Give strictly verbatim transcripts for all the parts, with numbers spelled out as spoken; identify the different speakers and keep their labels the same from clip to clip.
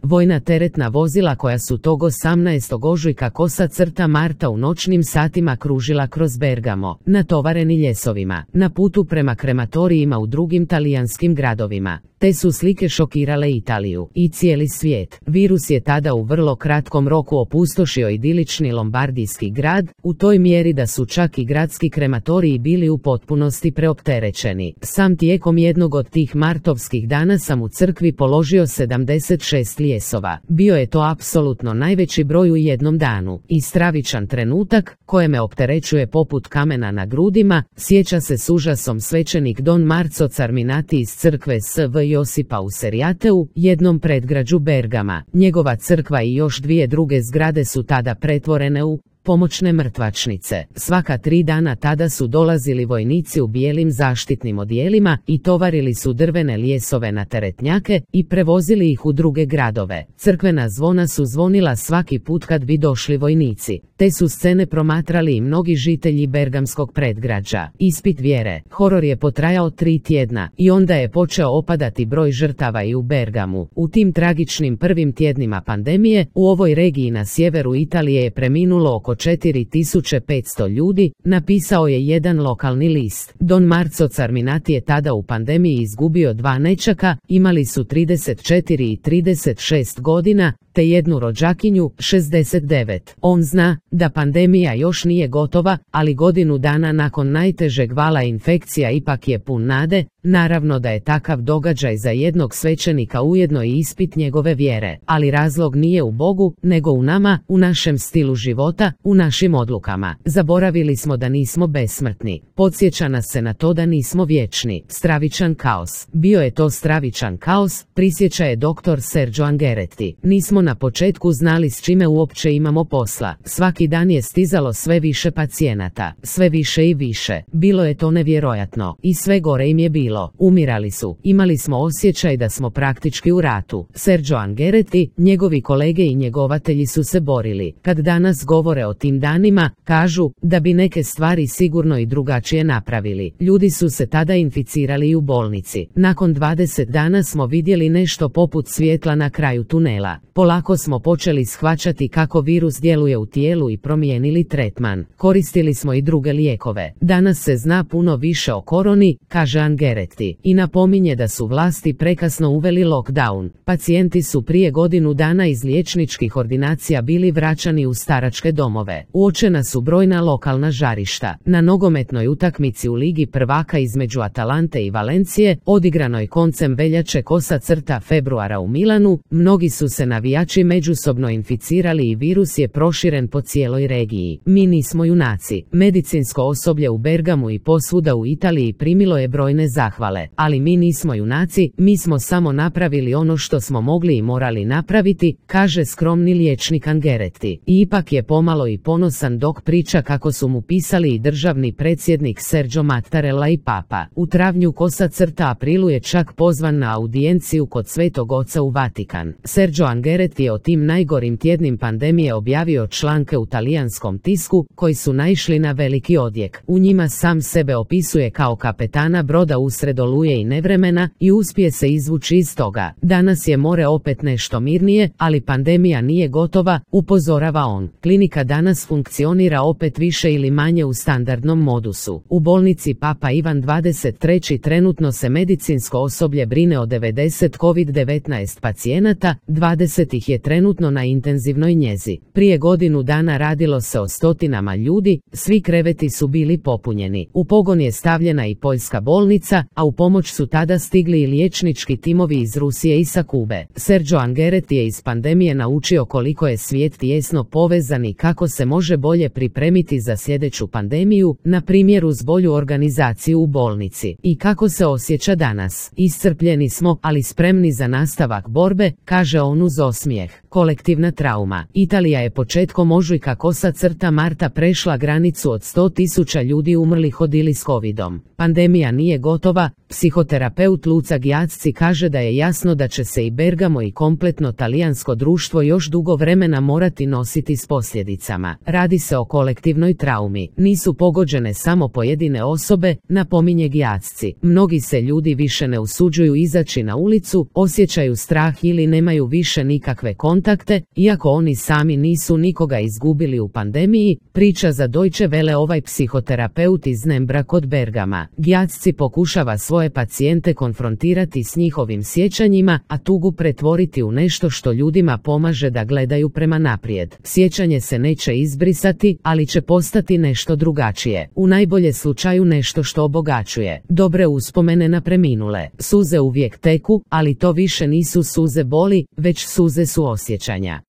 Speaker 1: vojna teretna vozila koja su tog osamnaestog ožujka kosa crta marta u noćnim satima kružila kroz Bergamo, natovareni ljesovima, na putu prema krematorijima u drugim talijanskim gradovima. Te su slike šokirale Italiju i cijeli svijet. Virus je tada u vrlo kratkom roku opustošio idilični lombardijski grad, u toj mjeri da su čak i gradski krematoriji bili u potpunosti preopterećeni. Sam tijekom jednog od tih martovskih dana sam u crkvi položio sedamdeset šest ljesova. Bio je to apsolutno najveći broj u jednom danu i stravičan trenutak koje me opterećuje poput kamena na grudima, sjeća se s užasom svećenik Don Marco Carminati iz crkve S V Josipa u Seriateu, jednom predgrađu Bergama. Njegova crkva i još dvije druge zgrade su tada pretvorene u pomoćne mrtvačnice. Svaka tri dana tada su dolazili vojnici u bijelim zaštitnim odijelima i tovarili su drvene ljesove na teretnjake i prevozili ih u druge gradove. Crkvena zvona su zvonila svaki put kad bi došli vojnici. Te su scene promatrali i mnogi žitelji bergamskog predgrađa. Ispit vjere. Horor je potrajao tri tjedna i onda je počeo opadati broj žrtava i u Bergamu. U tim tragičnim prvim tjednima pandemije u ovoj regiji na sjeveru Italije je preminulo oko četiri tisuće petsto ljudi, napisao je jedan lokalni list. Don Marco Carminati je tada u pandemiji izgubio dva nećaka, imali su trideset četiri i trideset šest godina, te jednu rođakinju, šezdeset devet. On zna da pandemija još nije gotova, ali godinu dana nakon najtežeg vala infekcija ipak je pun nade. Naravno da je takav događaj za jednog svećenika ujedno i ispit njegove vjere, ali razlog nije u Bogu, nego u nama, u našem stilu života, u našim odlukama. Zaboravili smo da nismo besmrtni. Podsjeća nas se na to da nismo vječni. Stravičan kaos. Bio je to stravičan kaos, prisjeća je doktor Sergio Angheretti. Nismo na početku znali s čime uopće imamo posla. Svaki dan je stizalo sve više pacijenata, sve više i više. Bilo je to nevjerojatno i sve gore im je bilo. Umirali su. Imali smo osjećaj da smo praktički u ratu. Sergio Angheretti, njegovi kolege i njegovatelji su se borili. Kad danas govore o tim danima, kažu da bi neke stvari sigurno i drugačije napravili. Ljudi su se tada inficirali i u bolnici. Nakon dvadeset dana smo vidjeli nešto poput svjetla na kraju tunela. Polako smo počeli shvaćati kako virus djeluje u tijelu i promijenili tretman. Koristili smo i druge lijekove. Danas se zna puno više o koroni, kaže Angheretti, i napominje da su vlasti prekasno uveli lockdown. Pacijenti su prije godinu dana iz liječničkih ordinacija bili vraćani u staračke domove. Uočena su brojna lokalna žarišta. Na nogometnoj utakmici u Ligi prvaka između Atalante i Valencije, odigranoj koncem veljače kosa crta februara u Milanu, mnogi su se navijači međusobno inficirali i virus je proširen po cijeloj regiji. Mi nismo junaci. Medicinsko osoblje u Bergamu i posvuda u Italiji primilo je brojne zahvale, ali mi nismo junaci, mi smo samo napravili ono što smo mogli i morali napraviti, kaže skromni liječnik Angheretti. I ipak je pomalo i ponosan dok priča kako su mu pisali i državni predsjednik Sergio Mattarella i papa. U travnju kosa crta aprilu je čak pozvan na audijenciju kod Svetog Oca u Vatikan. Sergio Angheretti je o tim najgorim tjednim pandemije objavio članke u talijanskom tisku koji su naišli na veliki odjek. U njima sam sebe opisuje kao kapetana broda usred oluje i nevremena i uspije se izvući iz toga. Danas je more opet nešto mirnije, ali pandemija nije gotova, upozorava on. Klinika danas funkcionira opet više ili manje u standardnom modusu. U bolnici Papa Ivan dvadeset treći trenutno se medicinsko osoblje brine o devedeset kovid devetnaest pacijenata, dvadeset ih je trenutno na intenzivnoj njezi. Prije godinu dana radilo se o stotinama ljudi, svi kreveti su bili popunjeni. U pogon je stavljena i poljska bolnica, a u pomoć su tada stigli i liječnički timovi iz Rusije i sa Kube. Sergio Angheretti je iz pandemije naučio koliko je svijet tijesno povezan i kako se može bolje pripremiti za sljedeću pandemiju, na primjer uz bolju organizaciju u bolnici. I kako se osjeća danas? Iscrpljeni smo, ali spremni za nastavak borbe, kaže on uz osmijeh. Kolektivna trauma. Italija je početkom ožujka kosa crta marta prešla granicu od sto tisuća ljudi umrlih od ili s covidom. Pandemija nije gotova, lijekova, psihoterapeut Luca Gyasci kaže da je jasno da će se i Bergamo i kompletno talijansko društvo još dugo vremena morati nositi s posljedicama. Radi se o kolektivnoj traumi, nisu pogođene samo pojedine osobe, napominje Gyasci. Mnogi se ljudi više ne usuđuju izaći na ulicu, osjećaju strah ili nemaju više nikakve kontakte, iako oni sami nisu nikoga izgubili u pandemiji, priča za Deutsche Welle ovaj psihoterapeut iz Nembra kod Bergama. Gyasci pokušava svoje pacijente konfrontirati s njihovim sjećanjima, a tugu pretvoriti u nešto što ljudima pomaže da gledaju prema naprijed. Sjećanje se neće izbrisati, ali će postati nešto drugačije. U najbolje slučaju nešto što obogaćuje. Dobre uspomene na preminule. Suze uvijek teku, ali to više nisu suze boli, već suze suosjećanja.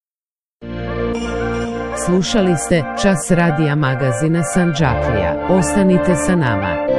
Speaker 1: Slušali ste Čas radija magazina Sanđaklija. Ostanite sa nama.